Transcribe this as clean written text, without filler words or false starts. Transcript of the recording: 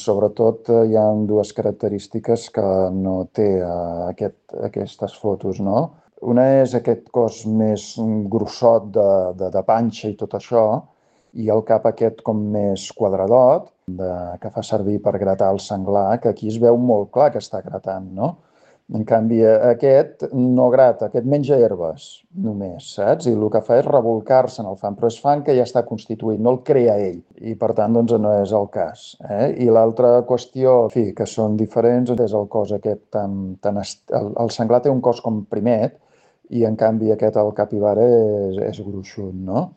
Sobretot hi ha dues característiques que no té aquestes fotos, no? Una és aquest cos més grossot de panxa i tot això, i el cap aquest com més quadradot, que fa servir per gratar el senglar, que aquí es veu molt clar que està gratant, no? En canvi, aquest no grata, aquest menja herbes només, saps? I el que fa és rebolcar-se en el fang, però és fang que ja està constituït, no el crea ell. I per tant, doncs, no és el cas. I l'altra qüestió, en fi, que són diferents, és el cos aquest el senglar té un cos com primet i en canvi aquest, el capibara, és gruixut, no?